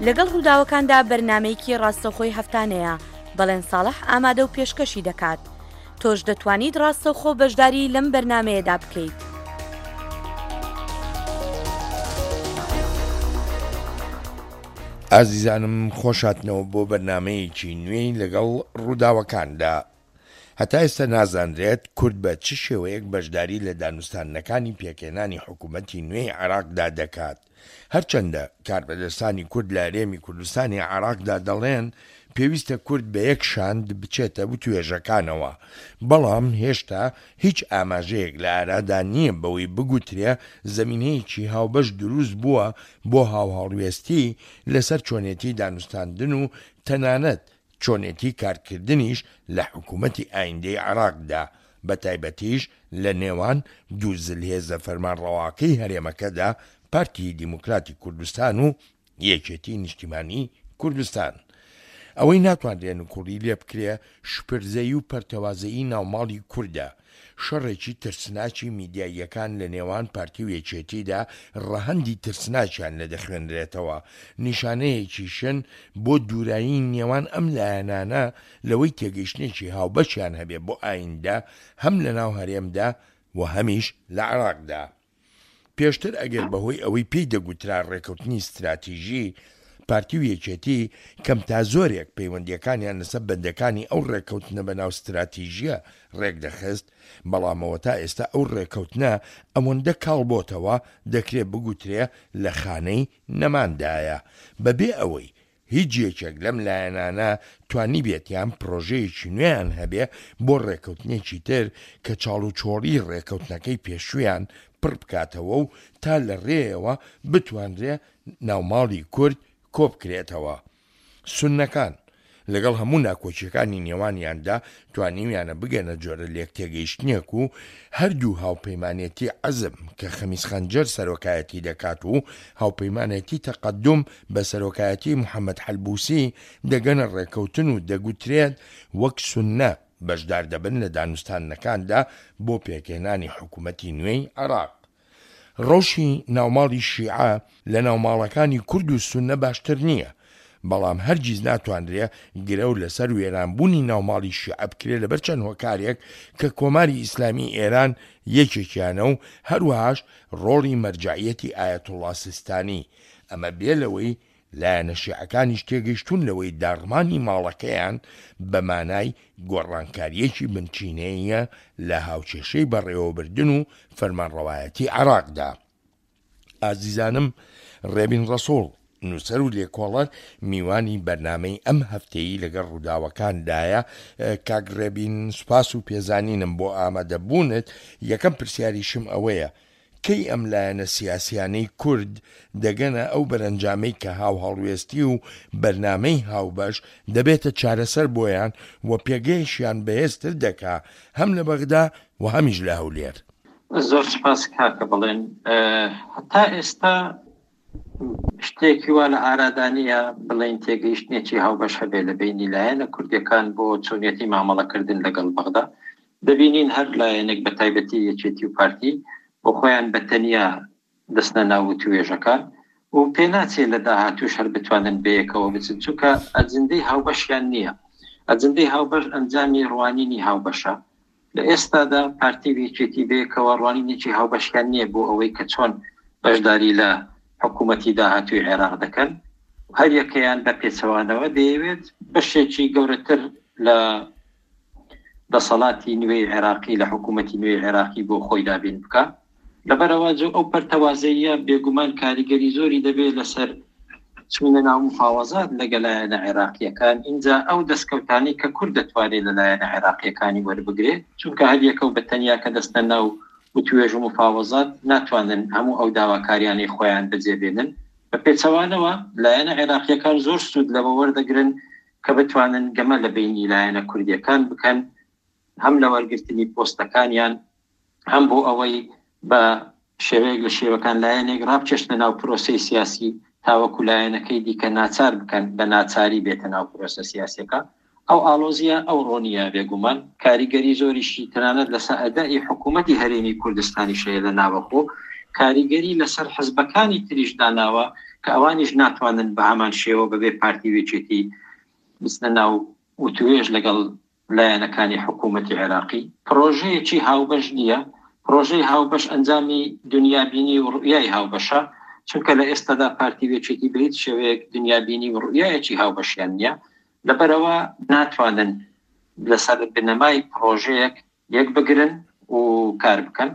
لەگەڵ ڕووداوەکاندا بەرنامەیەکی ڕاستەوخۆی هەفتانەیە، بەڵێن ساڵح ئامادە و پێشکەشی دەکات. تۆش دەتوانیت ڕاستەوخۆ بەشداری لەم بەرنامەیەدا بکەیت. ئازیزانم خۆشهاتنەوە بۆ بەرنامەیەکی نوێی لەگەڵ ڕووداوەکاندا. هەتا ئێستا نازانرێت کورد بە چ شێوەیەک بەشداری لە دانوستاندنەکانی پێکهێنانی حکوومەتی نوێی عێراقدا دەکات. هەرچەندە کاربەدەستانی کورد لە هەرێمی کوردستانی عێراقدا دەڵێن پێویستە کورد بە یەک شاند بچێتە وتوێژەکانەوە، بەڵام هێشتا هیچ ئاماژەیەک لە ئارادا نییە بەوەی بگوترێ زەمینەیەکی هاوبەش دروست بووە بۆ هاوهەڵوێستی لەسەر چۆنێتی دانوستاندن و تەنانەت چۆنێتی کارکردنیش لە حکوومەتی ئایندەی عێراقدا، بەتایبەتیش لە نێوان دوو زلهێزە فەرمانڕەواکەی هەرێمەکەدا، پارتی دیموکراتی کوردستان و یەکێتی نیشتیمانی کوردستان. ئەوەی ناتوانرێ نکوڵی لێ بکرێ شپرزەیی و پەرتەوازەیی ناوماڵی کوردە، شەڕێکی ترسناکی میدیاییەکان لە نێوان پارتی و یەکێتیدا ڕەهەندی ترسناکیان لێ دەخوێنرێتەوە، نیشانەیەکیشن بۆ دوورایی نێوان ئەم لایەنانە لەوەی تێگەیشتنێکی هاوبەشیان هەبێ بۆ ئایندە هەم لەناو هەرێمدا و هەمیش لە عێراقدا. پێشتر ئەگەر بەهۆی ئەوەی پێی دەگوترا ڕێکەوتنی ستراتیژی، پارتی و یەکێتی کەم تا زۆرێک پەیوەندییەکانیان لەسەر بەندەکانی ئەو ڕێکەوتنە بەناو ستراتیژییە ڕێکدەخست، بەڵام ئەوەتا ئێستا ئەو ڕێکەوتنە ئەوەندە کاڵ بۆتەوە دەکرێ بگوترێ لە خانەی نەماندایە بەبێ ئەوەی هیچ یەکێک لەم لایەنانە توانیبێتیان پرۆژەیەکی نوێیان هەبێ بۆ ڕێکەوتنێکی تر کە چاڵوچۆڵی ڕێکەوتنەکەی پێشوویان پڕ بکاتەوە و تا لە ڕێیەوە بتوانرێ ناوماڵی کورد کۆبکرێتەوە. سوننەکان، لەگەڵ هەموو ناکۆکییەکانی نێوانیاندا توانیویانە بگەنە جۆرە لێکتێگەیشتنێک و هەردوو هاوپەیمانێتی عەزم کە خەمیس خەنجەر سەرۆکایەتی دەکات و هاوپەیمانێتی تەقەدوم بە سەرۆکایەتی محەمەد حەلبوسی دەگەنە ڕێکەوتن و دەگوترێت وەک سوننە بەشدار دەبن لە دانوستاندنەکاندا بۆ پێکهێنانی حکومەتی نوێی عێراق. ڕەوشی ناوماڵی شیعە لە ناوماڵەکانی کورد و سوننە باشتر نییە، بەڵام هەرگیز ناتوانرێ گرەو لەسەر وێرانبوونی ناوماڵی شیعە بکرێ لەبەر چەند هۆکارێک کە کۆماری ئیسلامی ئێران یەکێکیانە و هەروەهاش ڕۆڵی مەرجەعیەتی ئایەتوڵڵا سیستانی، ئەمە بێ لەوەی لایەنە شیعەکانیش تێگەیشتوون لەوەی داڕمانی ماڵەکەیان بە مانای گۆڕانکارییەکی بنچینەییە لە هاوکێشەی بەڕێوەبردن و فەرمانڕەوایەتی عێراقدا. ئازیزانم ڕێبین ڕەسوڵ، نووسەر و لێکۆڵەر میوانی بەرنامەی ئەم هەفتەیی لەگەڵ ڕووداوەکاندایە. کاک ڕێبین سوپاس و پێزانینم بۆ ئامادەبوونت، یەکەم پرسیاریشم ئەوەیە کەی ئەم لایەنە سیاسیانەی کورد دەگەنە ئەو بەرەنجامەی کە هاوهەڵوێستی و بەرنامەی هاوبەش دەبێتە چارەسەر بۆیان و پێگەیەشیان بەهێزتر دەکا هەم لە بەغدا و هەمیش لە هەولێر؟ زۆر سوپاس کاکە بەڵێن. هەتا ئێستا شتێکی وا لە ئارادا نییە بڵێین تێگەیشتنێکی هاوبەش هەبێت لە بەینی لایەنە کوردیەکان بۆ چۆنیەتی مامەڵەکردن لەگەڵ بەغدا. دەبینین هەر لایەنێک بە تایبەتی یەکێتی و پارتی بۆ خۆیان بە تەنیا دەچنە ناو وتوێژەکان و پێناچێ لە داهاتووش هەر بتوانن بەیەکەوە بچن چونکە ئەجندەی هاوبەشیان نییە. ئەجندەی هاوبەش ئەنجامی ڕوانینی هاوبەشە. لە ئێستادا پارتی و یەکێتی بەیەکەوە ڕوانینێکی هاوبەشیان نییە بۆ ئەوەی کە چۆن بەشداری لە حکوومەتی داهاتووی عێراق دەکەن هەریەکەیان بە پێچەوانەوە دەیەوێت بەشێکی گەورەتر لە دەسەڵاتی نوێی عێراقی لە حکوومەتی نوێی عێراقی بۆ خۆی دابین بکا. لەبەرئەوە ئەو پەرتەوازەییە بێگومان کاریگەری زۆری دەبێت لەسەر چوونە ناو مفاوەزات لەگە لایەنە عێراقییەکان، ئینجا ئەو دەستکەوتانەی کە کورد دەتوانێت لە لایەنە عێراقییەکانی وەربگرێت، چونکە هەریەکەو بە تەنیا کە دەستنە ناو وتوێژ و مفاوەزات ناتوانن هەموو ئەو داواکاریانەی خۆیان بەجێ بێنن، بە پێچەوانەوە لایەنە عێراقییەکان زۆر سوود لەوە وەردەگرن کە بتوانن گەمە لە بەینی لایەنە کوردییەکان بکەن هەم لە وەرگرتنی پۆستەکانیان هەم بۆ ئەوەی بە شێوەیەک لە شێوەکان لایەنێک ڕابکێشنە ناو پرۆسەی سیاسی تاوەکو لایەنەکەی دیکە ناچار بکەن بە ناچاری بێتە ناو پرۆسە سیاسیەکە. ئەو ئاڵۆزیە ئەوڕۆ نییە بێگومان کاریگەری زۆریشی تەنانەت لەسەر ئەدائی حکوومەتی هەرێمی کوردستانیش هەیە لە ناوەخۆ، کاریگەری لەسەر حزبەکانی تریش داناوە. کە ئەوانیش ناتوانن بە هەمان شێوە بەبێ پارتی و یەکێتی بچنە ناو وتوێژ لەگەڵ لایەنەکانی حکوومەتی عێراقی. پڕۆژەیەکی هاوبەش نییە، پڕۆژەی هاوبەش ئەنجامی دونیابینی و ڕوئیای هاوبەشە، چونکە لە ئێستادا پارتی و یەکێتی بە هیچ شێوەیەک دونیابینی و ڕوئیایەکی هاوبەشیان نییە، لەبەرئەوە ناتوانن لەسەر بنەمای پڕۆژەیەک یەکبگرن و کار بکەن.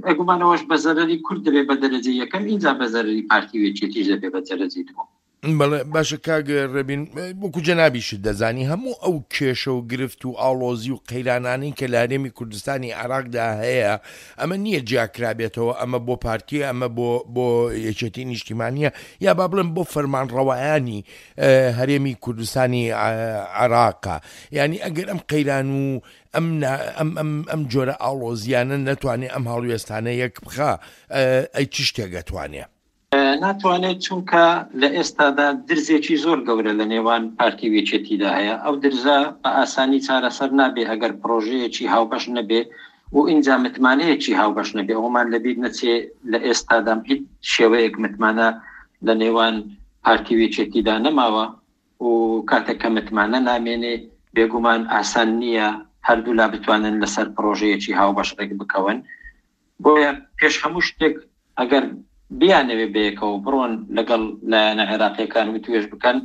بێگومان ئەوەش بە زەرەری کورد دەبێت بە دەرەجەی یەکەم، ئینجا بە زەرەری پارتی و یەکێتیش دەبێت بە دەرەجەی دووەم. بەڵێ باشە کاک ڕێبین وەکو جەنابیشت دەزانی هەموو ئەو کێشە و گرفت و ئاڵۆزی و قەیرانانەی کە لە هەرێمی کوردستانی عێراقدا هەیە ئەمە نییە جیاکرابێتەوە ئەمە بۆ پارتیە ئەمە بۆ بۆ یەکێتی نیشتیمانیە یا با بڵێم بۆ فەرمانڕەوایانی هەرێمی کوردستانی عێراقە یعنی ئەگەر ئەم قەیران و ئەم ئەم ئەم ئەم جۆرە ئاڵۆزیانە نەتوانێ ئەم هەڵوێستانە یەک بخا ئەی چ شتێک ئەتوانێ؟ ناتوانێت چونکە لە ئێستادا درزێکی زۆر گەورە لە نێوان پارتی و یەکێتیدا هەیە، ئەو درزە بە ئاسانی چارەسەر نابێ ئەگەر پڕۆژەیەکی هاوبەش نەبێ و ئینجا متمانەیەکی هاوبەش نەبێ، ئەوەمان لەبیر نەچێ لە ئێستادا هیچ شێوەیەک متمانە لە نێوان پارتی و یەکێتیدا نەماوە و کاتێک کە متمانە نامێنێ بێگومان ئاسان نییە هەردوولا بتوانن لەسەر پڕۆژەیەکی هاوبەش ڕێک بکەون. بۆیە پێش هەموو شتێک ئەگەر بیانەوێ بەیەکەوە بڕۆن لەگەڵ لایەنە عێراقیەکان وتوێژ بکەن،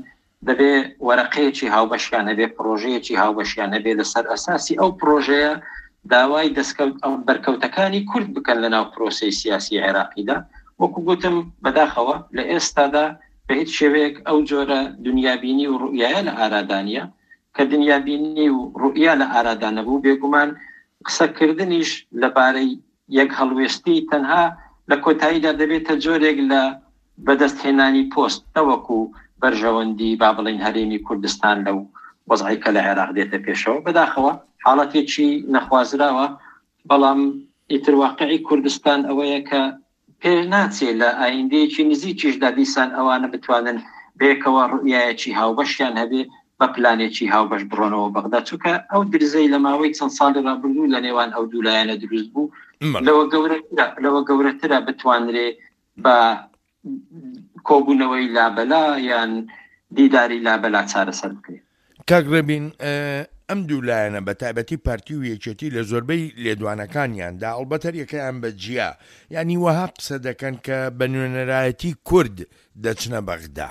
دەبێ وەرەقەیەکی هاوبەشیان هەبێ، پڕۆژەیەکی هاوبەشیان هەبێ، لەسەر ئەساسی ئەو پڕۆژەیە داوای دەستکەوت بەرکەوتەکانی کورد بکەن لەناو پرۆسەی سیاسی عێراقیدا. وەکو گوتم بەداخەوە لە ئێستادا بە هیچ شێوەیەک ئەو جۆرە دونیابینی و ڕوئیایە لە ئارادا نیە. کە دنیابینی و ڕوئیا لە ئارادا نەبوو، بێگومان قسەکردنیش لەبارەی یەک هەڵوێستی تەنها لە کۆتاییدا دەبێتە جۆرێک لە بەدەستهێنانی پۆست نەوەکو بەرژەوەندی با بڵێین هەرێمی کوردستان لەو وەزعەی کە لە عێراق دێتە پێشەوە. بەداخەوە حاڵەتێکی نەخوازراوە، بەڵام ئیتر واقعی کوردستان ئەوەیە کە پێ ناچێ لە ئایندەیەکی نزیکیشدا دیسان ئەوانە بتوانن بەیەکەوە ڕوئیایەکی هاوبەشیان هەبێ بە پلانێکی هاوبەش بڕۆنەوە بەغدا، چونکە ئەو درزەی لە ماوەی چەند ساڵی ڕابردوو لە نێوان ئەو دوو لایەنە دروست بوو لەوە گەورەترە لەوە گەورەترە بتوانرێ بە کۆبوونەوەی لابەلا یان دیداری لابەلا چارەسەر بکرێت. کاک ڕێبین ئەم دوو لایەنە بە تایبەتی پارتی و یەکێتی لە زۆربەی لێدوانەکانیاندا ئەڵبەت هەریەکەیان بە جیا یانی وەها قسە دەکەن کە بە نوێنەرایەتی کورد دەچنە بەغدا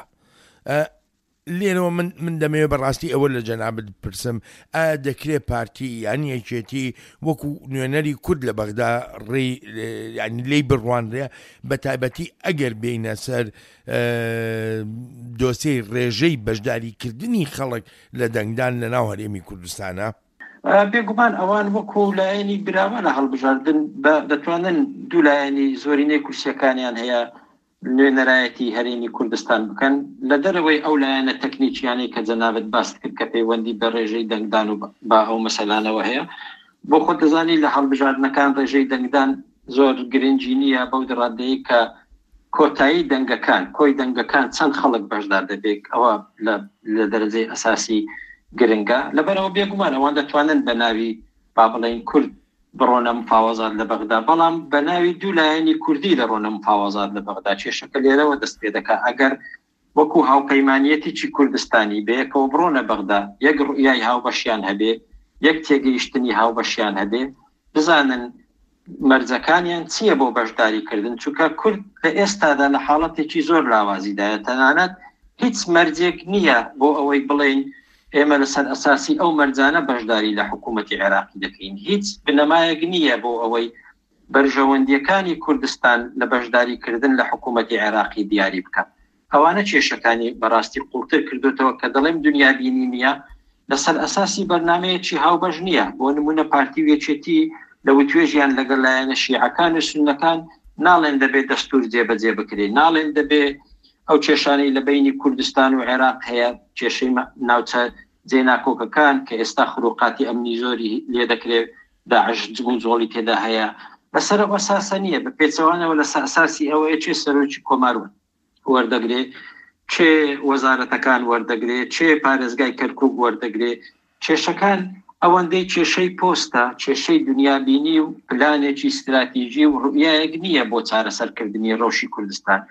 لێرەوە من من دەمەوێت بەڕاستی ئەوە لە جەنابت بپرسم ئایا دەکرێت پارتی یان یەکێتی وەکو نوێنەری کورد لە بەغدا ڕێی ینی لێی بڕوانرێ بە تایبەتی ئەگەر بینە سەر دۆسیەی ڕێژەی بەشداریکردنی خەڵک لە دەنگدان لە ناو هەرێمی کوردستانە؟ بێگومان ئەوان وەکو لایەنی براوە لە هەڵبژاردن دەتوانن دوو لایەنی زۆرینەی کورسیەکانیان هەیە نوێنەرایەتی هەرێمی کوردستان بکەن لە دەرەوەی ئەو لایەنە تەکنیکیانەی کە جەنابت باست کرد کە پەیوەندی بە ڕێژەی دەنگدان و بە ئەو مەسەلانەوە هەیە بۆ خۆت دەزانی لە هەڵبژاردنەکان ڕێژەی دەنگدان زۆر گرنگی نییە بەو ڕادەیە کە کۆتایی دەنگەکان کۆی دەنگەکان چەند خەڵک بەشدار دەبێت ئەوە لە دەرەجەی ئەساسی گرنگە لەبەرەوە بێگومان ئەوان دەتوانن بە ناوی با بڵێین کورد بڕۆنە مفاوەزات لە بەغدا، بەڵام بە ناوی دوو لایەنی کوردی دەڕۆنە مفاوەزات لە بەغدا، کێشەکە لێرەوە دەست پێ دەکا، ئەگەر وەکو هاوپەیمانیەتێکی کوردستانی بەیەکەوە بڕۆنە بەغدا، یەک ڕوئیای هاوبەشیان هەبێ، یەک تێگەیشتنی هاوبەشیان هەبێ، بزانن مەرجەکانیان چییە بۆ بەشداری کردن، چونکە کورد لە ئێستادا لە حاڵەتێکی زۆر لاوازیدایە، تەنانەت هیچ مەرجێک نییە بۆ ئەوەی بڵێین ئێمە لەسەر ئەساسی ئەو مەرجانە بەشداری لە حکوومەتی عێراقی دەکەین. هیچ بنەمایەک نییە بۆ ئەوەی بەرژەوەندییەکانی کوردستان لە بەشداریکردن لە حکوومەتی عێراقی دیاری بکات. ئەوانە کێشەکانی بەڕاستی قووڵتر کردۆتەوە کە دەڵێم دونیابینی نییە، لەسەر ئەساسی بەرنامەیەکی هاوبەش نییە. بۆ نموونە پارتی و یەکێتی لە وتوێژیان لەگەڵ لایەنە شیعەکان و سوننەکان ناڵێن دەبێ دەستوور جێبەجێ بکرێ، ناڵێن دەبێ ئەو کێشانەی لە بەینی کوردستان و عێراق هەیە، کێشەی ناوچە جێناکۆکەکان کە ئێستا خروقاتی ئەمنی زۆری لێدەکرێ، داعش جموجۆڵی تێدا هەیە، لەسەر ئەو ئەساسە نییە، بە پێچەوانەوە لەسەر ئەساسی ئەوەیە کێ سەرۆکی کۆمار وەردەگرێ، کێ وەزارەتەکان وەردەگرێ، کێ پارێزگای کەرکوک وەردەگرێ، کێشەکان ئەوەندەی کێشەی پۆستە، کێشەی دنیابینی و پلانێکی ستراتیژی و ڕوئیایەک نییە بۆ چارەسەرکردنی ڕەوشی کوردستان.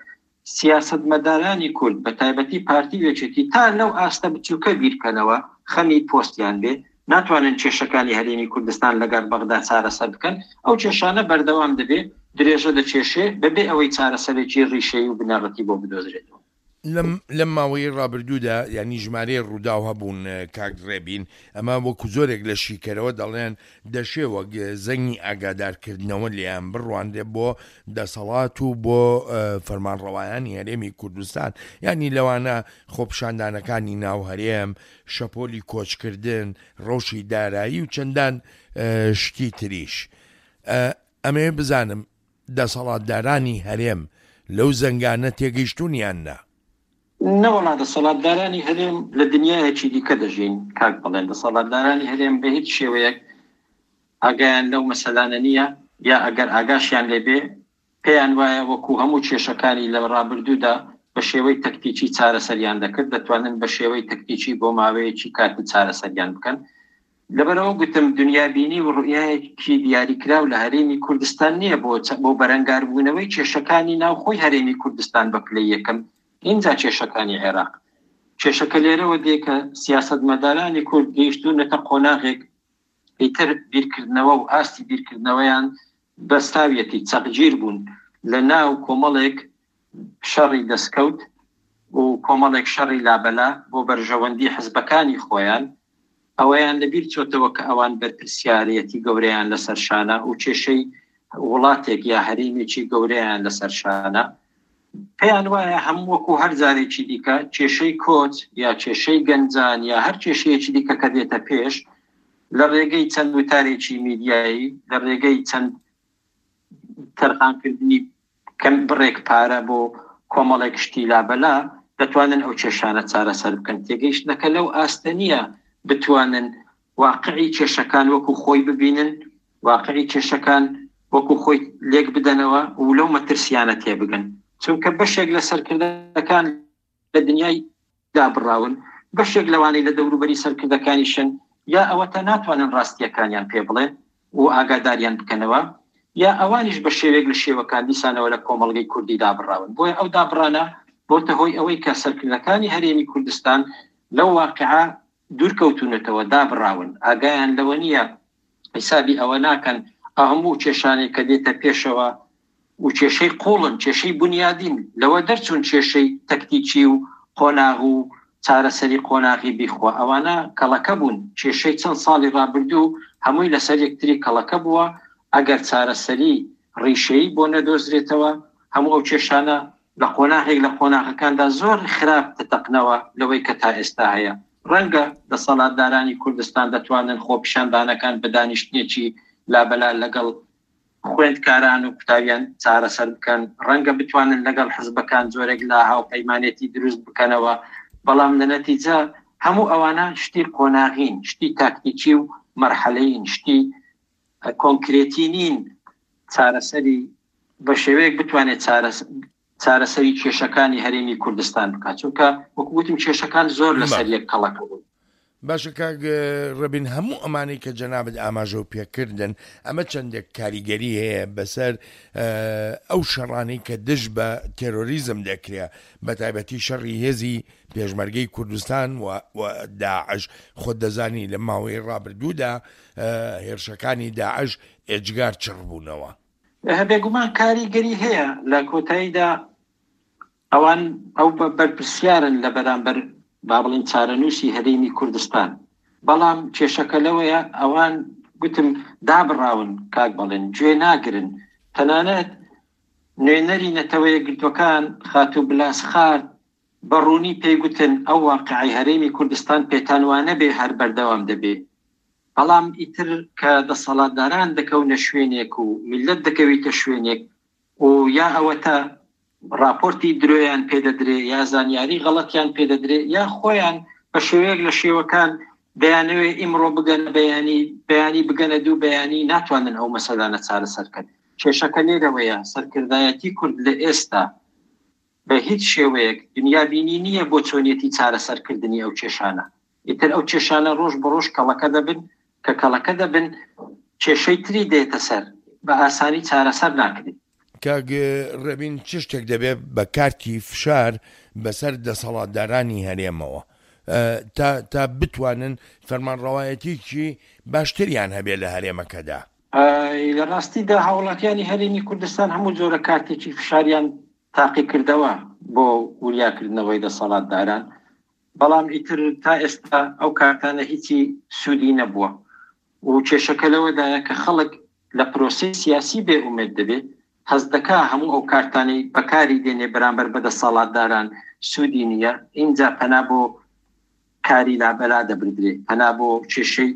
سیاسەتمەدارانی کورد بە تایبەتی پارتی و یەکێتی تا لەو ئاستە بچووکە بیرکەنەوە خەمی پۆستیان بێ ناتوانن کێشەکانی هەرێمی کوردستان لەگەڵ بەغدا چارەسەر بکەن، ئەو کێشانە بەردەوام دەبێ درێژە دەکێشێ بەبێ ئەوەی چارەسەرێکی ڕیشەیی و بنەڕەتی بۆ بدۆزرێتەوە. لەم لەم ماوەیەی ڕابردوودا یانی ژمارەی ڕووداو هەبوون کاک ڕێبین، ئەمە وەکو زۆرێک لە شیکەرەوە دەڵێن دەشێ وەک زەنگی ئاگادارکردنەوە لێیان بڕوانرێ بۆ دەسەڵات و بۆ فەرمانڕەوایانی هەرێمی کوردستان، یانی لەوانە خۆپیشاندانەکانی ناو هەرێم، شەپۆلی کۆچکردن، ڕەوشی دارایی و چەندان شتی تریش. ئەمەوێ بزانم دەسەڵاتدارانی هەرێم لەو زەنگانە تێگەیشتوون یان نا؟ نەوەڵا دەسەڵاتدارانی هەرێم لە دنیایەکی دیکە دەژین کاک بەڵێن، دەسەڵاتدارانی هەرێم بە هیچ شێوەیەک ئاگایان لەو مەسەلانە نییە یا ئەگەر ئاگاشیان لێ بێ پێیان وایە وەکو هەموو کێشەکانی لە ڕابردوودا بە شێوەی تەکتیکی چارەسەریان دەکرد، دەتوانن بە شێوەی تەکتیکی بۆ ماوەیەکی کاتی چارەسەریان بکەن. لەبەرئەوە گوتم دنیابینی و ڕوئیایەکی دیاریکراو لە هەرێمی کوردستان نییە بۆ بۆ بەرەنگاربوونەوەی کێشەکانی ناوخۆی هەرێمی کوردستان بە پلەی یەکەم، ئینجا کێشەکانی عێراق. کێشەکە لێرەوە دێ کە سیاسەتمەدارانی کورد گەیشتوونەتە قۆناغێک ئیتر بیرکردنەوە و ئاستی بیرکردنەوەیان بەستاویەتی، چەقگیر بوون لە ناو کۆمەڵێک شەڕی دەستکەوت و کۆمەڵێک شەڕی لابەلا بۆ بەرژەوەندی حزبەکانی خۆیان، ئەوەیان لەبیر چۆتەوە کە ئەوان بەرپرسیارێتی گەورەیان لەسەر شانە و کێشەی وڵاتێک یا هەرێمێکی گەورەیان لەسەر شانە. پێیان وایە هەموو وەکو هەر جارێکی دیکە کێشەی کۆچ یا کێشەی گەنجان یا هەر کێشەیەکی دیکە کە دێتە پێش لە ڕێگەی چەند وتارێکی میدیایی، لە ڕێگەی چەند تەرخانکردنی کەم بڕێک پارە بۆ کۆمەڵێک شتی لابەلا دەتوانن ئەو کێشانە چارەسەر بکەن. تێگەیشتنەکە لەو ئاستە نییە بتوانن واقعی کێشەکان وەکو خۆی ببینن، واقعی کێشەکان وەکو خۆی لێک بدەنەوە و لەو مەترسیانە تێبگەن. چونکە بەشێک لە سەرکردەکان لە دنیای دابڕاون، بەشێک لەوانەی لە دەوروبەری سەرکردەکانیشن یا ئەوەتا ناتوانن ڕاستییەکانیان پێ بڵێن و ئاگاداریان بکەنەوە، یا ئەوانیش بە شێوەیەک لە شێوەکان دیسانەوە لە کۆمەڵگەی کوردی دابڕاون. بۆیە ئەو دابڕانە بۆتە هۆی ئەوەی کە سەرکردەکانی هەرێمی کوردستان لەو واقیعە دوورکەوتوونەتەوە، دابڕاون، ئاگایان لەوە نییە، حیسابی ئەوە ناکەن ئەو هەموو کێشانەی کە دێتە پێشەوە و کێشەی قوڵن، کێشەی بونیادین، لەوە دەرچوون کێشەی تەکتیکی و قۆناغ و چارەسەری قۆناغی بیخوا، ئەوانە کەڵەکە بوون، کێشەی چەند ساڵی ڕابردوو هەمووی لەسەر یەکتری کەڵەکە بووە، ئەگەر چارەسەری ڕیشەیی بۆ نەدۆزرێتەوە هەموو ئەو کێشانە لە قۆناغێک لە قۆناغەکاندا زۆر خراپ دەتەقنەوە لەوەی کە تا ئێستا هەیە. ڕەنگە دەسەڵاتدارانی کوردستان دەتوانن خۆپیشاندانەکان بە دانیشتنێکی لابەلا لەگەڵ خوێندکاران و قوتابیان چارەسەر بکەن، ڕەنگە بتوانن لەگەڵ حزبەکان جۆرێک لە هاوپەیمانێتی دروست بکەنەوە، بەڵام لە نەتیجە هەموو ئەوانە شتی قۆناغین، شتی تاکتیکی و مەرحەلەیین، شتی کۆنکرێتی نین چارەسەری بە شێوەیەک بتوانێت چارەسەری کێشەکانی هەرێمی کوردستان بکات، چونکە وەکو وتم کێشەکان زۆر لەسەر یەک کەڵەکە بوون. باشە کاک ڕێبین هەموو ئەمانەی کە جەنابت ئاماژەو پێکردن ئەمە چەندێک کاریگەری هەیە بەسەر ئەو شەڕانەی کە دژ بە تێرۆریزم دەکرێ بە تایبەتی شەڕی هێزی پێشمەرگەی کوردستان و داعش خۆت دەزانی لە ماوەی ڕابردوودا هێرشەکانی داعش ئێجگار چڕ بوونەوە. بێگومان کاریگەری هەیە، لە کۆتاییدا ئەوان ئەو بەرپرسیارن لە بەرامبەر با بڵێین چارەنووسی هەرێمی کوردستان، بەڵام کێشەکە لەوەیە ئەوان گوتم دابڕاون کاک بەڵێن گوێ ناگرن، تەنانەت نوێنەری نەتەوە یەکگرتووەکان خاتوو بلاسخارت بە ڕوونی پێی گوتن ئەو واقیعەی هەرێمی کوردستان پێتان وانەبێ هەر بەردەوام دەبێ، بەڵام ئیتر کە دەسەڵاتداران دەکەونە شوێنێک و میللەت دەکەویتە شوێنێک و یا ئەوەتا ڕاپۆرتی درۆیان پێ دەدرێ یا زانیاری غەڵەتیان پێ دەدرێ یا خۆیان بە شێوەیەک لە شێوەکان دەیانەوێ ئیمڕۆ بگەنە بەیانی، بەیانی بگەنە دوو بەیانی، ناتوانن ئەو مەسەلانە چارەسەر کەن. کێشەکە لێرەوەیە سەرکردایەتی کورد لە ئێستا بە هیچ شێوەیەک دنیابینی نییە بۆ چۆنیەتی چارەسەرکردنی ئەو کێشانە. ئیتر ئەو کێشانە ڕۆژ بە ڕۆژ کەڵەکە دەبن، کە کەڵەکە دەبن کێشەی تری دێتە سەر، بە ئاسانی چارەسەر ناکرێ. کاک ڕێبین چ شتێک دەبێ بە کارتی فشار بەسەر دەسەڵاتدارانی هەرێمەوە تا تا بتوانن فەرمانڕەوایەتیکی باشتریان هەبێ لە هەرێمەکەدا؟ لە ڕاستیدا هاوڵاتیانی هەرێمی کوردستان هەموو جۆرە کارتێکی فشاریان تاقیکردەوە بۆ وریاکردنەوەی دەسەڵاتداران، بەڵام ئیتر تا ئێستا ئەو کارتانە هیچی سوودی نەبووە و کێشەکە لەوەدایە کە خەڵک لە پرۆسەی سیاسی بێ ئومێد دەبێت، هەست دەکا هەموو ئەو کارتانەی بەکاری دێنێ بەرامبەر بە دەسەڵاتداران سوودی نییە، ئینجا پەنا بۆ کاری لابەلا دەبردرێ، پەنا بۆ کێشەی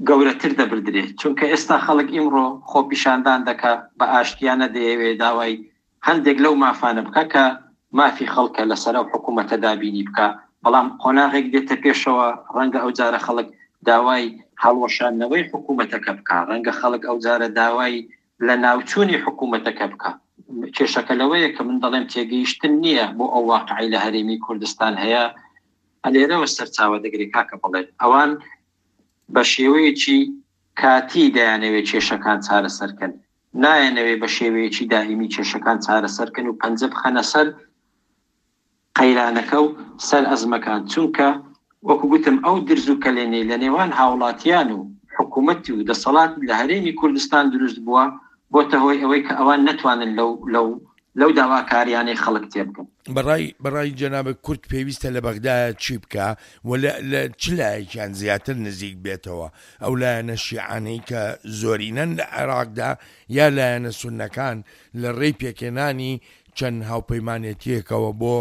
گەورەتر دەبردرێ، چونکە ئێستا خەڵک ئیمڕۆ خۆپیشاندان دەکا بە ئاشتیانە دەیەوێ داوای هەندێک لەو مافانە بکا کە مافی خەڵکە لەسەر ئەو حکوومەتە دابینی بکا، بەڵام قۆناغێک دێتە پێشەوە ڕەنگە ئەو جارە خەڵک داوای هەڵوەشاندنەوەی حکوومەتەکە بکا، ڕەنگە خەڵک ئەو جارە داوای لەناوچوونی حکوومەتەکە بکا. کێشەکە لەوەیە کە من دەڵێم تێگەیشتن نییە بۆ ئەو واقعەی لە هەرێمی کوردستان هەیە، لێرەوە سەرچاوە دەگرێ کاکە بەڵێن ئەوان بە شێوەیەکی کاتی دەیانەوێت کێشەکان چارەسەر کەن، نایانەوێت بە شێوەیەکی دائیمی کێشەکان چارەسەر کەن و پەنجە بخەنە سەر قەیرانەکە و سەر ئەزمەکان، چونکە وەکو گوتم ئەو درز و کەلێنەی لە نێوان هاوڵاتیان و حکومەت و دەسەڵات لە هەرێمی کوردستان دروست بووە، بۆتە هۆی ئەوەی کە ئەوان نەتوانن لەو لەو لەو داواکاریانەی خەڵک تێبگەن. بەڕای بەڕای جەنابت کورد پێویستە لە بەغدایە چی بکا و لە لە چ لایەکیان زیاتر نزیک بێتەوە؟ ئەو لایەنە شیعانەی کە زۆرینەن لە عێراقدا یا لایەنە سوننەکان لە ڕێی پێکهێنانی چەند هاوپەیمانێتییەکەوە بۆ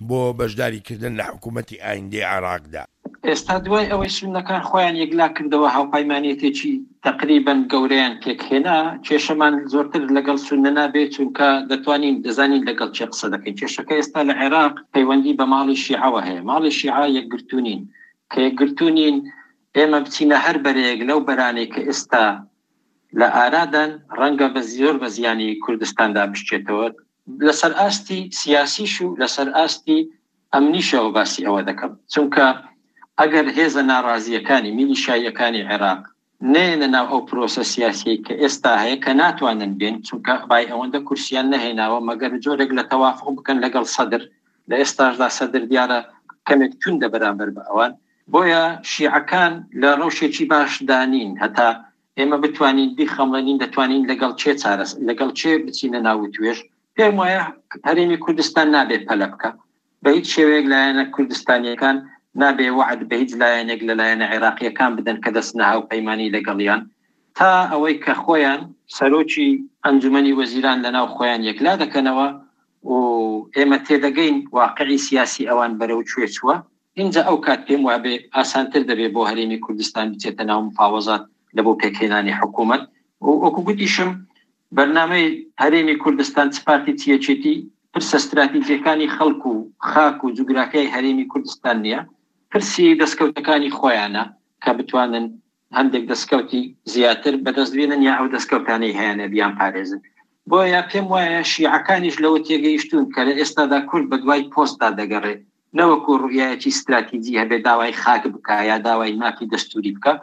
بۆ بەشداریکردن لە حکوومەتی ئایندەی عێراقدا؟ ئێستا دوای ئەوەی سوننەکان خۆیان یەکلا کردەوە هاوپایمانێتێکی تەقریبەن گەورەیان پێکهێنا، کێشەمان زۆرتر لەگەڵ سوننە نابێت چونکە دەتوانین دەزانین لەگەڵ کێ قسە دەکەین، کێشەکە ئێستا لە عێراق پەیوەندی بە ماڵی شیعەوە هەیە، ماڵی شیعە یەکگرتوو نین، کە یەکگرتوو نین ئێمە بچینە هەر بەرەیەک لەو بەرانەی کە ئێستا لە ئارادان ڕەنگە بە زۆر بە زیانی کوردستاندا بشکێتەوە لەسەر ئاستی سیاسیش و لەسەر ئاستی ئەمنیشەوە باسی ئەوە دەکەم، چونکە ئەگەر هێزە ناڕازییەکانی میلیشاییەکانی عێراق نەیەنە ناو ئەو پرۆسە سیاسیەی کە ئێستا هەیە کە ناتوانن بێن، چونکە بای ئەوەندە کورسیان نەهێناوە مەگەر جۆرێک لە تەوافوق بکەن لەگەڵ سەدر، لە ئێستاشدا سەدر دیارە کەمێک توندە بەرامبەر بە ئەوان، بۆیە شیعەکان لە ڕەوشێکی باشدا نین هەتا ئێمە بتوانین بیخەمڵێنین دەتوانین لەگەڵ کێ چارەس لەگەڵ کێ بچینە ناو وتوێژ، پێم وایە هەرێمی کوردستان نابێ پەلە بکا بە هیچ شێوەیەک لایەنە کوردستانیەکان نابێ وەعد بە هیچ لایەنێک لە لایەنە عێراقیەکان بدەن کە دەچنە هاوپەیمانی لەگەڵیان تا ئەوەی کە خۆیان سەرۆکی ئەنجومەنی وەزیران لەناو خۆیان یەکلا دەکەنەوە و ئێمە تێدەگەین واقعی سیاسی ئەوان بەرەو کوێ چووە ئینجا ئەو کات پێم وابێ ئاسانتر دەبێ بۆ هەرێمی کوردستان بچێتە ناو مفاوەزات لە بۆ پێکهێنانی حکوومەت و وەکو گوتیشم بەرنامەی هەرێمی کوردستان چ پارتی چ یەکێتی پرسە ستراتیجیەکانی خەڵک و خاک و جوگرافیای هەرێمی کوردستان نییە، پرسی دەستکەوتەکانی خۆیانە کە بتوانن هەندێک دەستکەوتی زیاتر بەدەست بێنن یا ئەو دەستکەوتانەی هەیانە بیانپارێزن. بۆیە پێم وایە شیعەکانیش لەوە تێگەیشتوون کە لە ئێستادا کورد بەدوای پۆستدا دەگەڕێ نەوەکو ڕوئیایەکی ستراتیجی هەبێ داوای خاک بکا یا داوای مافی دەستوری بکا،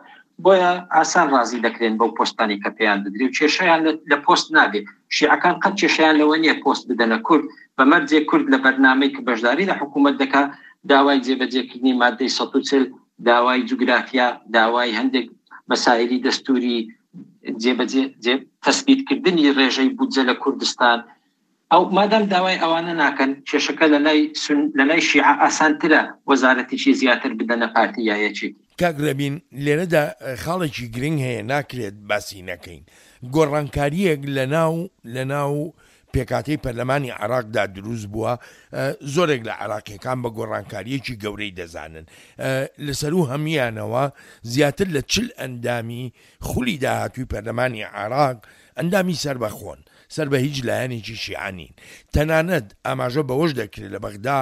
بۆیە ئاسان ڕازی دەکرێن بەو پۆستانەی کە پێیان دەدرێ و کێشەیان لە پۆست نابێ، شیعەکان قەت کێشەیان لەوە نیە پۆست بدەنە کورد بە مەرجێک کورد لە بەرنامەی کە بەشداری لە حکوومەت دەکا داوای جێبەجێکردنی مادەی 140 داوای جوگرافیا داوای هەندێک مەسایلی دەستوری جێبەجێ تەسبیتکردنی ڕێژەی بودجە لە کوردستان ئەو مادام داوای ئەوانە ناکەن کێشەکە لەلای سون لەلای شیعە ئاسانترە وەزارەتێکی زیاتر بدەنە پارتی یا یەکێتی. کاک ڕێبین لێرەدا خاڵێکی گرنگ هەیە ناکرێت باسی نەکەین گۆڕانکارییەک لەناو لەناو پێکهاتەی پەرلەمانی عێراقدا دروست بووە زۆرێک لە عێراقیەکان بە گۆڕانکارییەکی گەورەی دەزانن لەسەروو هەموویانەوە زیاتر لە چل ئەندامی خولی داهاتووی پەرلەمانی عێراق ئەندامی سەربەخۆن، سەر بە هیچ لایەنێکی شیعە نین. تەنانەت ئاماژە بەوەش دەکرێت لە بەغدا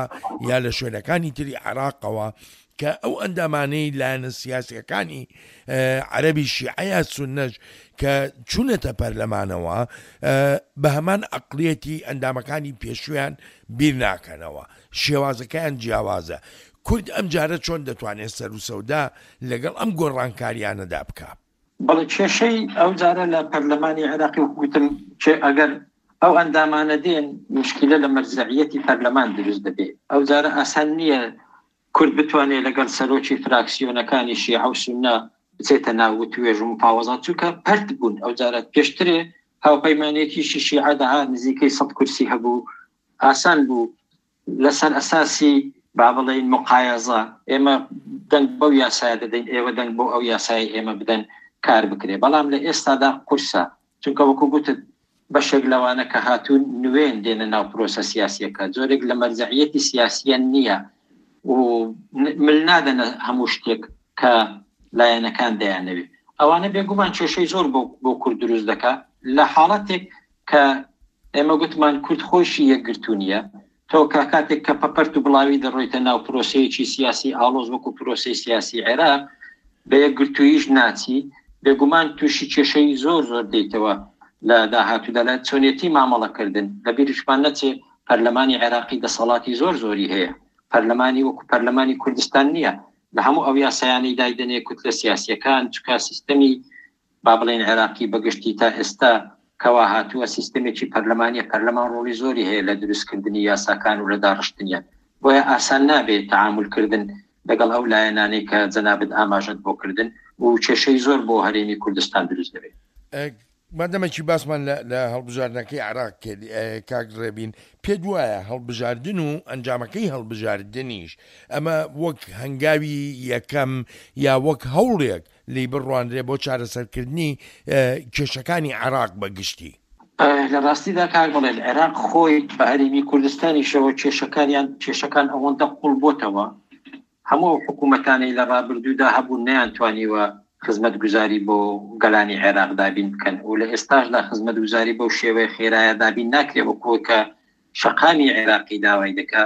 یا لە شوێنەکانی تری عێراقەوە کە ئەو ئەندامانەی لایەنە سیاسییەکانی عەرەبی شیعە یا سوننەش کە چوونەتە پەرلەمانەوە بە هەمان ئەقڵیەتی ئەندامەکانی پێشوویان بیر ناکەنەوە، شێوازەکەیان جیاوازە. کورد ئەمجارە چۆن دەتوانێت سەروسەودا لەگەڵ ئەم گۆڕانکارییانەدا بکا؟ بەڵێ کێشەی ئەو جارە لە پەرلەمانی عێراقی وەکو گوتم کێ ئەگەر ئەو ئەندامانە دێن مشکلە لە مەرجەعیەتی پەرلەمان دروست دەبێ. ئەو جارە ئاسان نییە کورد بتوانێ لەگەڵ سەرۆکی فراکسیۆنەکانی شیعە و سوننە بچێتە ناو وتوێژ و مفاوەزات، چونکە پەرت بوون. ئەو جارە پێشترێ هاوپەیمانێتیشی شیعە دەها نزیکەی سەد کورسی هەبوو، ئاسان بوو لەسەر ئەساسی با بڵێین مقایەزە، ئێمە دەنگ بەو یاسایە دەدەین، ئێوە دەنگ بۆ ئەو یاسای ئێمە بدەن کار بکرێ. بەڵام لە ئێستادا قورسە، چونکە وەکو گوتت بەشێک لەوانە کە هاتوون نوێن دێنە ناو پرۆسە سیاسیەکە، جۆرێک لە مەرجەعیەتی سیاسیان نییە و مل نادەنە هەموو شتێک کە لایەنەکان دەیانەوێت. ئەوانە بێگومان کێشەی زۆر بۆ کورد دروست دەکا لە حاڵەتێک کە ئێمە گوتمان کورد خۆیشی یەکگرتوو نییە. تۆ کە کاتێک کە پەپەرت و بڵاوی دەڕۆیتە ناو پرۆسەیەکی سیاسی ئاڵۆز وەکو پرۆسەی سیاسی عێراق بە یەکگرتووییش ناچی، بێگومان تووشی کێشەی زۆر زۆر دێیتەوە لە داهاتوودا لە چۆنێتی مامەڵەکردن. لە بیریشمان نەچێ پەرلەمانی عێراقی دەسەڵاتی زۆر زۆری هەیە، پەرلەمانی وەکو پەرلەمانی کوردستان نییە لە هەموو ئەو یاسایانەی دایدەنێ کوتلە سیاسییەکان، چونکە سیستەمی با بڵێین عێراقی بە گشتی تا ئێستا کەوا هاتووە سیستەمێکی پەرلەمانیە، پەرلەمان ڕۆڵی زۆری هەیە لە دروستکردنی یاساکان و لە داڕشتنیان، بۆیە ئاسان نابێت تەعامول کردن لەگەڵ ئەو لایەنانەی کە جەنابت ئاماژەت بۆ کردن و کێشەی زۆر بۆ هەرێمی کوردستان دروست دەبێت. مادەمەکی باسمان لە هەڵبژاردنەکەی عێراق کرد کاک ڕێبین، پێت وایە هەڵبژاردن و ئەنجامەکەی هەڵبژاردنیش ئەمە وەک هەنگاوی یەکەم یا وەک هەوڵێک لێی بڕوانرێ بۆ چارەسەرکردنی کێشەکانی عێراق بە گشتی؟ لە ڕاستیدا کاک بڵێن عێراق خۆی بە هەرێمی کوردستانیشەوە کێشەکانیان کێشەکان ئەوەندە قوڵ بۆتەوە هەموو ئەو حکوومەتانەی لە ڕابردوودا هەبوون نەیانتوانیوە خزمەتگوزاری بۆ گەلانی عێراق دابین بکەن و لە ئێستاشدا خزمەتگوزاری بەو شێوەیە خێرایە دابین ناکرێ وەکو کە شەقامی عێراقی داوای دەکا.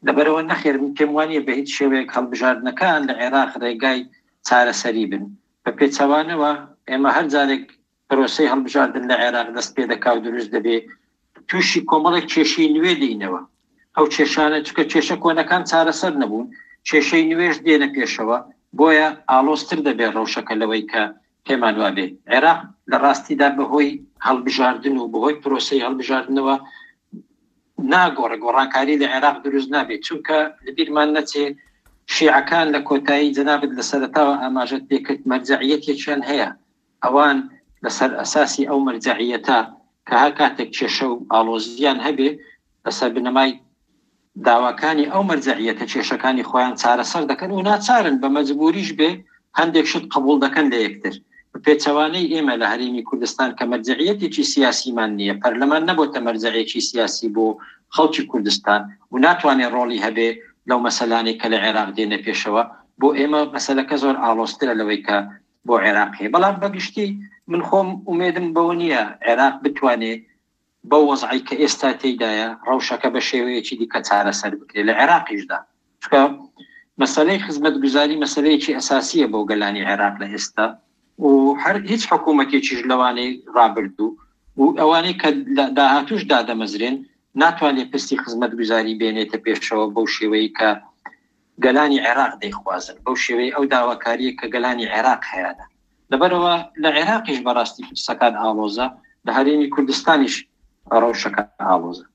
لەبەرئەوە نەخێر من پێم وانییە بە هیچ شێوەیەک هەڵبژاردنەکان لە عێراق ڕێگای چارەسەری بن. بە پێچەوانەوە ئێمە هەر جارێک پرۆسەی هەڵبژاردن لە عێراق دەست پێ دەکا و دروست دەبێ تووشی کۆمەڵێک کێشەی نوێ دێینەوە. ئەو کێشانە چونکە کێشە کۆنەکان چارەسەر نەبوون، کێشەی نوێش دێنە پێشەوە، بۆیە ئاڵۆزتر دەبێ ڕەوشەکە لەوەی کە پێمان وابێ. عێراق لە ڕاستیدا بەهۆی هەڵبژاردن و بەهۆی پرۆسەی هەڵبژاردنەوە ناگۆڕێ، گۆڕانکاری لە عێراق دروست نابێت، چونکە لەبیرمان نەچێ شیعەکان لە کۆتایی جەنابت لە سەرەتاوە ئاماژەت پێکرد مەرجەعیەتێکیان هەیە، ئەوان لەسەر ئەساسی ئەو مەرجەعیەتە کە هەر کاتێک کێشە و ئاڵۆزییان هەبێ لەسەر بنەمای داواکانی ئەو مەرجەعیەتە کێشەکانی خۆیان چارەسەر دەکەن و ناچارن بە مەجبوریش بێ هەندێک شت قبوڵ دەکەن لە یەکتر. بە پێچەوانەی ئێمە لە هەرێمی کوردستان کە مەرجەعیەتێکی سیاسیمان نییە، پەرلەمان نەبۆتە مەرجەعێکی سیاسی بۆ خەڵکی کوردستان و ناتوانێ ڕۆڵی هەبێ لەو مەسەلانەی کە لە عێراق دێنە پێشەوە، بۆ ئێمە مەسەلەکە زۆر ئاڵۆزترە لەوەی کە بۆ عێراق هەیە. بەڵام بە گشتی من خۆم ئومێدم بەوە نییە عێراق بتوانێ بەو وەزعەی کە ئێستا تێیدایە ڕەوشەکە بە شێوەیەکی دیکە چارەسەر بکرێت لە عێراقیشدا، چونکە مەسەلەی خزمەتگوزاری مەسەلەیەکی ئەساسییە بۆ گەلانی عێراق لە ئێستا و هەر هیچ حکوومەتێکیش لەوانەی ڕابردوو و ئەوانەی کە لە داهاتووش دادەمەزرێن ناتوانێت پرسی خزمەتگوزاری بێنێتە پێشەوە بەو شێوەیە کە گەلانی عێراق دەیخوازن، بەو شێوەی ئەو داواکارییە کە گەلانی عێراق هەیانە. لەبەرئەوە لە عێراقیش بەڕاستی پرسەکان ئاڵۆزە، لە هەرێمی کوردستانیش ڕەوشەکە ئاڵۆزە.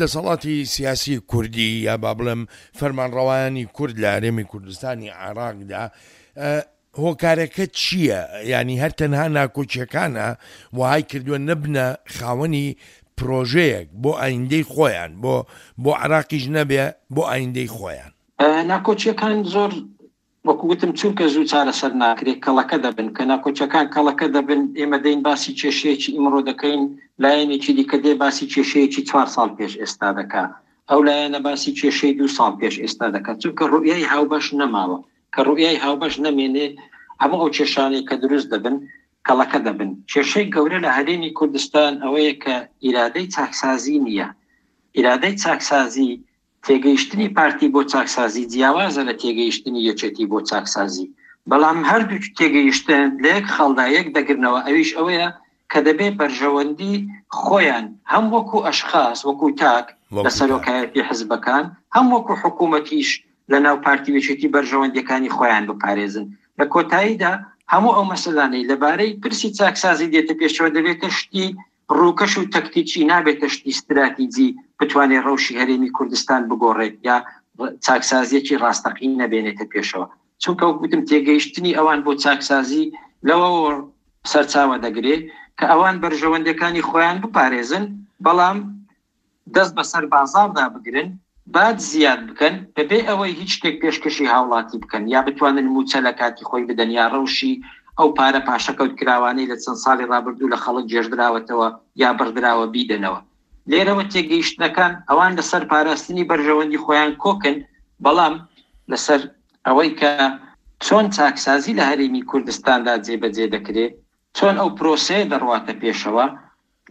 دەسەڵاتی سیاسی کوردی یا با بڵێم فەرمانڕەوایانی کورد لە هەرێمی کوردستانی عێراقدا هۆکارەکە چییە؟ یانی هەر تەنها ناکۆکیەکانە وەهای کردووە نەبنە خاوەنی پرۆژەیەک بۆ ئایندەی خۆیان بۆ بۆ عێراقیش نەبێ بۆ ئایندەی خۆیان؟ ناکۆکیەکان زۆر وەکو وتم چونکە زوو چارەسەر ناکرێت کەڵەکە دەبن، کە ناکۆکیەکان کەڵەکە دەبن ئێمە دێین باسی کێشەیەکی ئیمڕۆ دەکەین لایەنێکی دیکە دێ باسی کێشەیەکی چوار ساڵ پێش ئێستا دەکا، ئەو لایەنە باسی کێشەی دوو ساڵ پێش ئێستا دەکات، چونکە ڕوئیای هاوبەش نەماوە، کە ڕوئیای هاوبەش نەمێنێ هەموو ئەو کێشانەی کە دروست دەبن کەڵەکە دەبن. کێشەی گەورە لە هەرێمی کوردستان ئەوەیە کە ئیرادەی چاکسازی نییە، ئیرادەی چاکسازی تێگەیشتنی پارتی بۆ چاکسازی جیاوازە لە تێگەیشتنی یەکێتی بۆ چاکسازی، بەڵام هەردوو تێگەیشتن لە یەک خاڵدا یەک دەگرنەوە ئەویش ئەوەیە کە دەبێ بەرژەوەندی خۆیان هەم وەکو ئەشخاس وەکو تاک لە سەرۆکایەتی حزبەکان هەم وەکو حکوومەتیش لە ناو پارتی و یەکێتی بەرژەوەندیەکانی خۆیان بپارێزن. لە کۆتاییدا هەموو ئەو مەسەلانەی لەبارەی پرسی چاکسازی دێتە پێشەوە دەبێتە شتی. ڕووکەش و تەکتیکی، نابێتە شتی ستراتیجی بتوانێت ڕەوشی هەرێمی کوردستان بگۆڕێت یا چاکسازیەکی ڕاستەقینە بێنێتە پێشەوە. چونکە وەک وتم تێگەیشتنی ئەوان بۆ چاکسازی لەوەوە سەرچاوە دەگرێ کە ئەوان بەرژەوەندەکانی خۆیان بپارێزن، بەڵام دەست بەسەر بازاڕدا بگرن، باج زیاد بکەن بەبێ ئەوەی هیچ شتێک پێشکەشی هاوڵاتی بکەن یا بتوانن مووچە لە کاتی خۆی بدەن یا ڕەوشی ئەو پارە پاشەکەوت کراوانەی لە چەند ساڵی ڕابردوو لە خەڵک گێژدراوەتەوە یا بڕدراوە بیدەنەوە. لێرەوە تێگەیشتنەکان ئەوان لەسەر پاراستنی بەرژەوەندی خۆیان کۆکن، بەڵام لەسەر ئەوەی کە چۆن چاکسازی لە هەرێمی کوردستاندا جێبەجێ دەکرێ، چۆن ئەو پرۆسەیە دەڕواتە پێشەوە،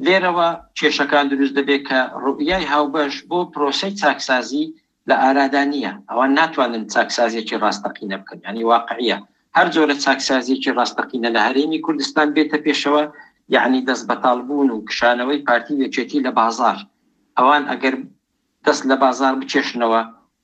لێرەوە کێشەکان دروست دەبێت کە ڕوئیای هاوبەش بۆ پرۆسەی چاکسازی لە ئارادا نییە، ئەوان ناتوانن چاکسازیەکی ڕاستەقینە بکەن، یانی واقعیە هەر جۆرە چاکسازیەکی ڕاستەقینە لە هەرێمی کوردستان بێتە پێشەوە یەعنی دەست بەتاڵ بوون و کشانەوەی پارتی و یەکێتی لە بازاڕ، ئەوان ئەگەر دەست لە بازاڕ بکێشنەوە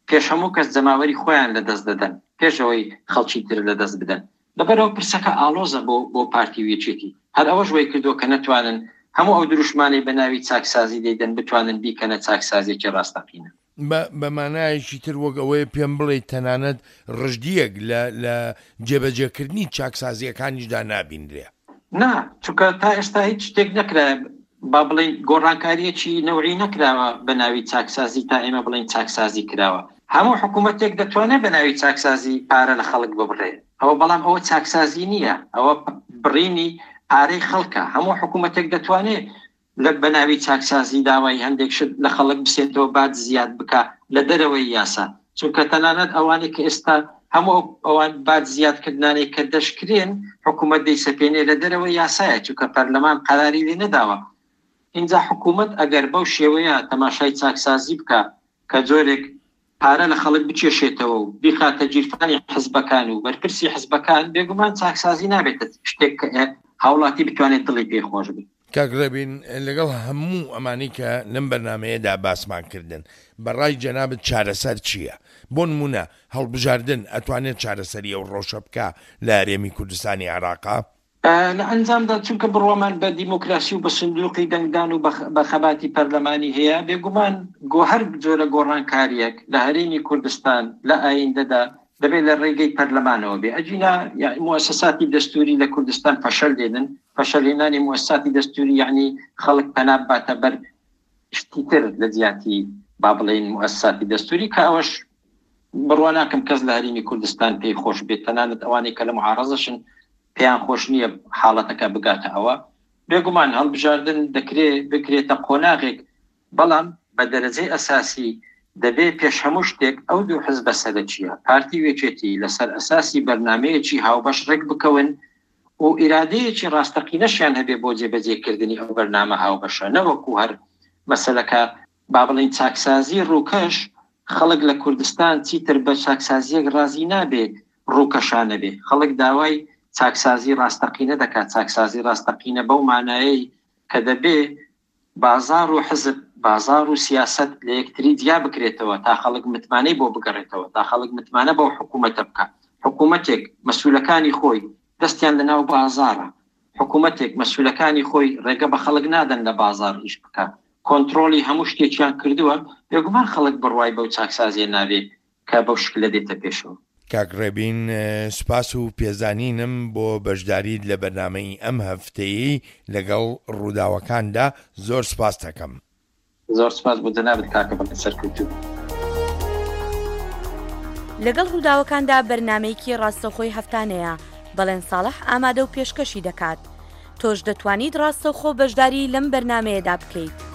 پێش هەموو کەس جەماوەری خۆیان لە دەست دەدەن پێش ئەوەی خەڵکی تر لە دەست بدەن. لەبەرئەوە پرسەکە ئاڵۆزە بۆ بۆ پارتی و یەکێتی. هەر ئەوەش وای کردووە کە نەتوانن هەموو ئەو دروشمانەی بە ناوی چاکسازی دەیدەن بتوانن بیکەنە چاکسازیەکی ڕاستەقینە. بە بە مانایەکی تر وەک ئەوەیە پێم بڵێیت تەنانەت ڕژدییەک لە لە جێبەجێکردنی چاکسازییەکانیشدا نابینرێ. نا، چونکە تا ئێستا هیچ شتێک نەکرایە با بڵێین گۆڕانکارییەکی نەوعی نەکراوە بە ناوی چاکسازی تا ئێمە بڵێین چاکسازی کراوە. هەموو حکوومەتێک دەتوانێت بە ناوی چاکسازی پارە لە خەڵک ببڕێ، ئەوە بەڵام ئەوە چاکسازی نییە، ئەوە بڕینی پارەی خەڵکە. هەموو حکوومەتێک دەتوانێت لە بە ناوی چاکسازی داوای هەندێک شت لە خەڵک بسێنتەوە باج زیاد بکا لە دەرەوەی یاسا چونکە تەنانەت ئەوانەی کە ئێستا هەموو ئەوان باج زیاد کردنانەی کە دەشکرێن حکوومەت دەیسەپێنێ لە دەرەوەی یاسایە چونکە پەرلەمان قەراری لێ نەداوە ئینجا حکوومەت ئەگەر بەو شێوەیە تەماشای چاکسازی بکا کە جۆرێک پارە لە خەڵک بکێشێتەوە و بیخاتە گیرفانی حزبەکان و بەرپرسی حزبەکان، بێگومان چاکسازی نابێتە شتێک کە هاوڵاتی بتوانێت دڵی پێی خۆش بێت. کاک ڕێبین، لەگەڵ هەموو ئەمانەی کە لەم بەرنامەیەدا باسمان کردن، بە ڕای جەنابت چارەسەر چییە؟ بۆ نموونە هەڵبژاردن ئەتوانێت چارەسەری ئەو ڕەوشە بکا لە هەرێمی کوردستانی عێراقا؟ لە ئەنجامدا چونکە بڕوامان بە دیموکراسی و بە سندوقی دەنگدان و بە خەباتی پەرلەمانی هەیە، بێگومان هەر جۆرە گۆڕانکارییەک لە هەرێمی کوردستان لە ئایندەدا دەبێت لە ڕێگەی پەرلەمانەوە بێ، ئەگینا موئەسەساتی دەستووری لە کوردستان فەشەل دێنن، فەشەلهێنانی موئەسەساتی دەستووری یەعنی خەڵک پەنا بباتە بەر شتی تر لە جیاتی با بڵێین موئەسەساتی دەستووری کە ئەوەش بڕوا ناکەم کەس لە هەرێمی کوردستان پێی خۆش بێت، تەنانەت ئەوانەی کە لە موعارەزەشن پێیان خۆش نییە حاڵەتەکە بگاتە ئەوە. بێگومان هەڵبژاردن دەکرێ بکرێتە قۆناغێک، بەڵام بە دەرەجەی ئەساسی دەبێ پێش هەموو شتێک ئەو دوو حزبە سەرەکییە، پارتی و یەکێتی، لەسەر ئەساسی بەرنامەیەکی هاوبەش ڕێک بکەون و ئیرادەیەکی ڕاستەقینەشیان هەبێ بۆ جێبەجێکردنی ئەو بەرنامە هاوبەشە، نەوەکو هەر مەسەلەکە با بڵێین چاکسازی ڕووکەش، خەڵک لە کوردستان چیتر بە چاکسازییەک ڕازی نابێ ڕووکەشانە بێ، خەڵک داوای چاکسازی ڕاستەقینە دەکات، چاکسازی ڕاستەقینە بەو مانایەی کە دەبێ بازاڕ و حزب، بازاڕ و سیاسەت لە یەکتری جیا بکرێتەوە تا خەڵک متمانەی بۆ بگەڕێتەوە، تا خەڵک متمانە بەو حکوومەتە بکا. حکوومەتێک مەسوولەکانی خۆی دەستیان لە ناو بازاڕە، حکوومەتێک مەسوولەکانی خۆی ڕێگە بە خەڵک نادەن لە بازاڕ ئیش بکا، کۆنتڕۆڵی هەموو شتێکیان کردووە، بێگومان خەڵک بڕوای بەو چاکسازیە نابێ کە بەو شکلە دێتە پێشەوە. کاک ڕێبین سوپاس و پێزانینم بۆ بەشداریت لە بەرنامەی ئەم هەفتەیەی لەگەڵ ڕووداوەکاندا زۆر سوپاست ئەکەم. زۆر سوپاس بۆ جەنابت کاکە بەڵێن سەرکەوتوو بی. لەگەڵ ڕووداوەکاندا بەرنامەیەکی ڕاستەوخۆی هەفتانەیە، بەڵێن ساڵح ئامادە و پێشکەشی دەکات. تۆش دەتوانیت ڕاستەوخۆ بەشداری لەم بەرنامەیەدا بکەیت.